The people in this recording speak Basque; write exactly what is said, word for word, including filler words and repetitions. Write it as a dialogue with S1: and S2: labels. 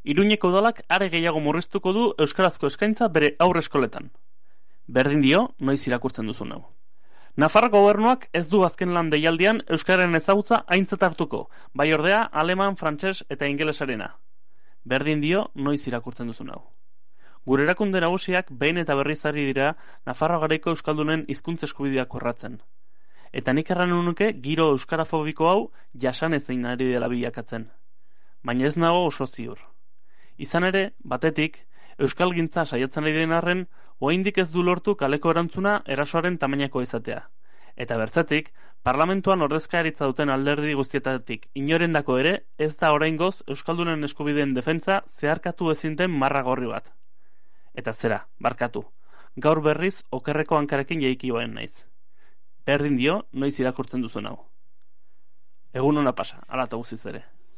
S1: Iruñeko udalak are gehiago murriztuko du euskarazko eskaintza bere aurreskoletan. Berdin dio, noiz irakurtzen duzun hau. Nafarroko gobernuak ez du azken lan deialdian euskararen ezagutza aintzat hartuko, bai ordea aleman, frantses eta ingelesarena. Berdin dio, noiz irakurtzen duzun hau. Gure erakunde nagusiak behin eta berriz ari dira Nafarroa garaiko euskaldunen hizkuntza eskubideak korratzen. Eta nik erran nuke giro euskarafobiko hau jasanezin ari dela bilakatzen. Baina ez nago oso ziur. Izan ere, batetik, euskalgintza saiatzen ari den arren, oraindik ez du lortu kaleko erantzuna erasoaren tamainako izatea. Eta bertzetik, parlamentuan ordezkaritza duten alderdi guztietatik inorendako ere, ez da oraingoz euskaldunen eskubideen defentsa zeharkatu ezin den marra gorri bat. Eta zera, barkatu, gaur berriz okerreko hankarekin jaikioen naiz. Berdin dio, noiz irakurtzen duzun hau. Egun ona pasa, ala eta guziz ere.